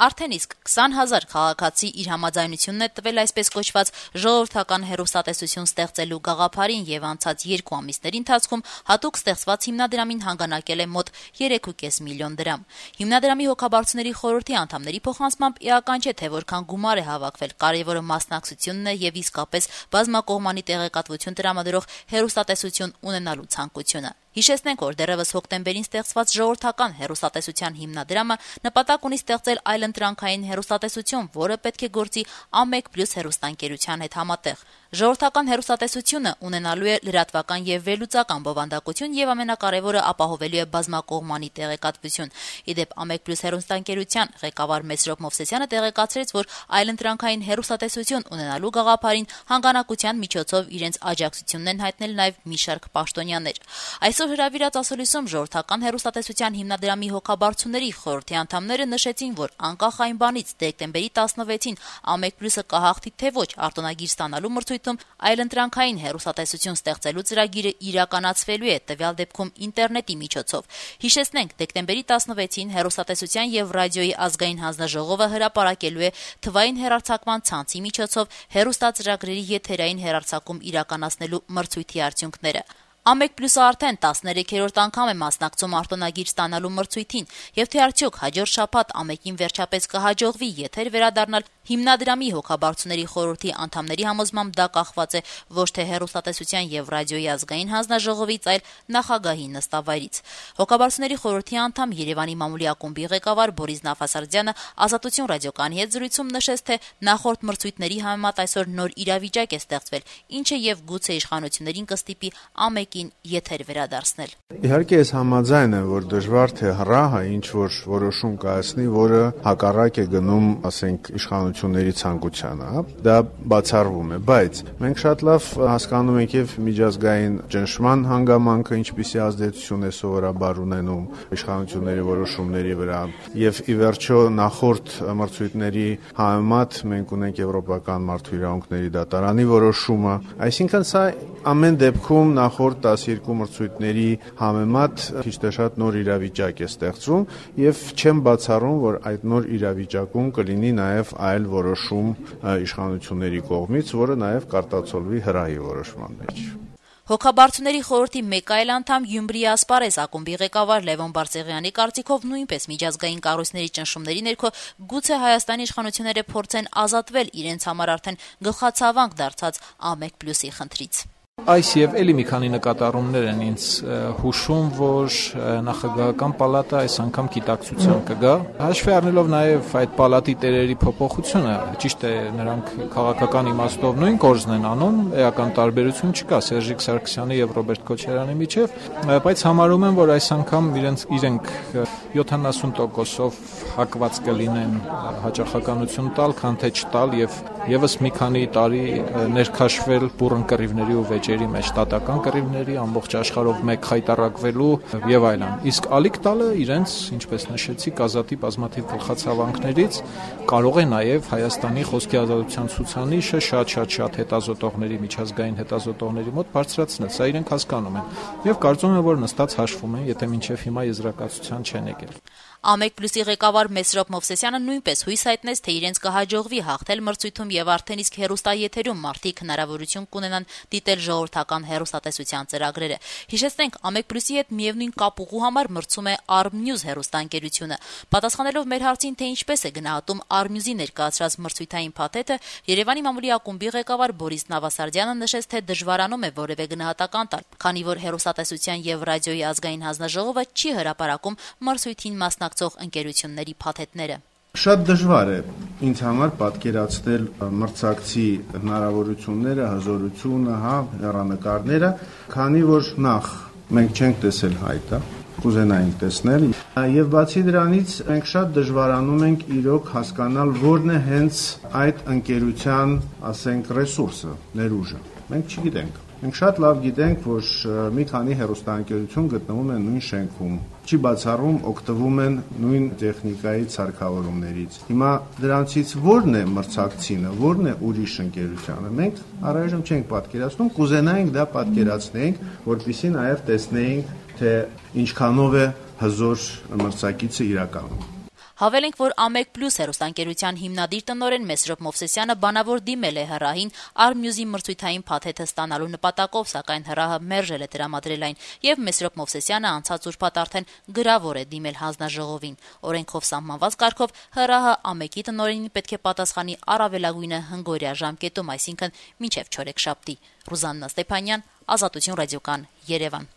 Արդեն իսկ 20,000 քաղաքացի իր համաձայնությունն է տվել այսպես կոչված ժողովրդական հեռուստատեսություն ստեղծելու գաղափարին եւ անցած 2 ամիսների ընթացքում հատուկ ստեղծված հիմնադրամին հանգանակել է մոտ 3.5 միլիոն դրամ։ Հիմնադրամի հոգաբարձուների խորհրդի անդամների փոխանցմամբ էական չէ, թե որքան գումար է հավաքվել, կարևորը մասնակցությունն է եւ իսկապես բազմակողմանի տեղեկատվություն տրամադրող հեռուստատեսություն ունենալու ցանկությունը։ Հիշեցնենք, որ դեռևս հոկտեմբերին ստեղծված ժողովրդական հեռուստատեսության հիմնադրամը նպատակ ունի ստեղծել այլընտրանքային հեռուստատեսություն, որը պետք է գործի A1+ հեռուստաընկերության հետ համատեղ։ Ժողովրդական հեռուստատեսությունը ունենալու է լրատվական եւ վերլուծական բովանդակություն եւ ամենակարևորը ապահովելու է բազմակողմանի տեղեկատվություն։ Իդեպ A1+ հեռուստաընկերության ղեկավար Մեսրոպ Մովսեսյանը տեղեկացրեց, որ այլընտրանքային հեռուստատեսություն ունենալու գաղափարին հանգանակության միջոցով իրենց աջակցությունն են հայտնել նաեւ մի շարք պաշտոնյաներ։ Այսօր հրավիրած ասուլիսում ժողովրդական հեռուստատեսության հիմնադրամի հոգաբարձուների խորհրդի անդամները նշեցին, որ անկախ այն բանից դեկտեմբերի 16-ին A1+-ը կհաղթի թե ոչ արտոնագիր ստանալու մրցույթում, այլընտրանքային հեռուստատեսություն ստեղծելու ծրագիրը իրականացվելու է, տվյալ դեպքում ինտերնետի միջոցով։ Հիշեցնենք, դեկտեմբերի 16-ին հեռուստատեսության եւ ռադիոյի ազգային հանձնաժողովը հրապարակելու է թվային հեռարձակման ցանցի միջոցով հեռուստածրագրերի եթերային հեռարձակում իրականացնելու մրցույթի արդյունքները։ A1+-ը արդեն 13-րդ անգամ է մասնակցում արտոնագիր ստանալու մրցույթին, եւ թե արդյոք հաջորդ շաբաթ A1-ին վերջապես կհաջողվի եթեր վերադառնալ, հիմնադրամի հոգաբարձուների խորհրդի անդամների համոզմամբ դա կախված է ոչ թե հեռուստատեսության եւ ռադիոյի ազգային հանձնաժողովից, այլ նախագահի նստավայրից։ Հոգաբարձուների խորհրդի անդամ Երևանի մամուլի ակումբի ղեկավար Բորիս Նավասարդյանը Ազատություն ռադիոկայանի հետ զրույցում նշեց, թե նախորդ մրցույթների համեմատ այսօր նոր իրավիճակ է ստեղծվել, ինչը եւ գուցե իշխանություններին կստիպի A1-ին եթեր վերադարձնել։ Իհարկե ես համաձայն եմ, որ դժվար թե հրահը ինչ որ որոշում կայացնի, որը հակառակ է գնում, ասենք, իշխանությունների ցանկությանը, դա բացառվում է, բայց մենք շատ լավ հասկանում ենք եւ միջազգային ճնշման հանգամանքը ինչպիսի ազդեցություն է սովորաբար ունենում իշխանությունների որոշումների վրա, եւ ի վերջո նախորդ մրցույթների համեմատ մենք ունենք Եվրոպական մարդու իրավունքների դատարանի որոշումը, այսինքն սա ամեն դեպքում նախորդ 12 մրցույթների համեմատ քիչ թե շատ նոր իրավիճակ է ստեղծվում եւ չեմ բացառում, որ այդ նոր իրավիճակում կլինի նաեւ այլ որոշում իշխանությունների կողմից, որը նաեւ կարտացոլվի հրահի որոշման մեջ։ Հոգաբարձուների խորհրդի մեկ այլ անդամ Գյումրիի Ասպարեզ ակումբի ղեկավար Լևոն Բարսեղյանի կարծիքով նույնպես միջազգային կառույցների ճնշումների ներքո գուցե Հայաստանի իշխանությունները փորձեն ազատվել իրենց համար արդեն գլխացավանք դարձած A1+-ի խնդրից։ Այս եւ էլի մի քանի նկատառումներ են ինձ հուշում, որ նախագահական պալատը այս անգամ գիտակցության կգա։ Հաշվի առնելով նաեւ այդ պալատի տերերի փոփոխությունը, ճիշտ է, նրանք քաղաքական իմաստով նույն կորզն են անում, էական տարբերություն չկա Սերժիկ Սարգսյանի եւ Ռոբերտ Քոչարյանի միջեւ, բայց համարում եմ, որ այս անգամ իրենք 70%-ով հակված կլինեն հաճախականություն տալ, քան թե չտալ եւ եւս մի քանի տարի ներքաշվել բուռն կռիվների ու վեճերի մեջ, տատական կռիվների, ամբողջ աշխարհով մեկ խայտարակվելու եւ այլն։ Իսկ ալիք տալը իրենց, ինչպես նշեցի, ազատի բազմաթիվ գլխացավանքներից կարող է նաեւ Հայաստանի խոսքի ազատության ցուցանիշը շատ հետազոտողների, միջազգային հետազոտողների մոտ բարձրացնել։ Սա իրենք հասկանում են եւ կարծում եմ, որ նստած հաշվում են, եթե մինչեւ հիմա եզրակացության չեն եկել։ A1+-ի ղեկավար Մեսրոպ Մովսեսյանը նույնպես հույս հայտնեց, թե իրենց կհաջողվի հաղթել մրցույթում եւ արդեն իսկ հեռուստաեթերում մարդիկ հնարավորություն կունենան դիտել ժողովրդական հեռուստատեսության ծրագրերը։ Հիշեցնենք, A1+-ի հետ միևնույն կապուղու համար մրցում է Armnews հեռուստաընկերությունը։ Պատասխանելով մեր հարցին, թե ինչպես է գնահատում Armnews-ի ներկայացրած մրցույթային փաթեթը, Երևանի մամուլի ակումբի ղեկավար Բորիս Նավասարդյանը նշեց, թե դժվարանում է որևէ գնահատական տալ, քանի որ հեռուստատեսության եւ ռադիոյի ազգային հանձնաժողովը չի հրապարակում մրցույթին մասնակցող ընկերությունների փաթեթները։ Շատ դժվար է ինձ համար պատկերացնել մրցակցի հնարավորությունները, հզորությունը, հեռանկարները, քանի որ նախ մենք չենք տեսել հայտը, կուզենայինք տեսնել, եւ բացի դրանից մենք շատ դժվարանում ենք իրոք հասկանալ որն է հենց այդ ընկերության, ասենք, ռեսուրսը, ներուժը։ Մենք չգիտենք։ Մենք շատ լավ գիտենք, որ մի քանի հեռուստաընկերություն գտնվում են նույն շենքում, չի բացառում օգտվում են նույն տեխնիկայի սարքավորումներից։ Հիմա դրանցից ո՞րն է մրցակցինը, ո՞րն է ուրիշ ընկերությանը։ Մենք առայժմ չենք պատկերացնում, կուզենայինք դա պատկերացնենք, որպեսզի նաև տեսնեինք, թե ինչքանով է հզոր մրցակիցը իրականում։ Հավելենք, որ Ամեկ+ հեռուստաընկերության հիմնադիր տնօրեն Մեսրոպ Մովսեսյանը բանավոր դիմել է ՀՌԱՀ-ին Արմյուզի մրցույթային փաթեթը ստանալու նպատակով, սակայն ՀՌԱՀ-ը մերժել է տրամադրել այն, եւ Մեսրոպ Մովսեսյանը անցած ուրբաթ արդեն գրավոր է դիմել հանձնաժողովին։ Օրենքով սահմանված կարգով ՀՌԱՀ-ը Ամեկի տնօրենին պետք է պատասխանի առավելագույնը հնգօրյա ժամկետում, այսինքն մինչեւ չորեքշաբթի։ Ռուզաննա Ստեփանյան, Ազատություն ռադիոկան, Երևան։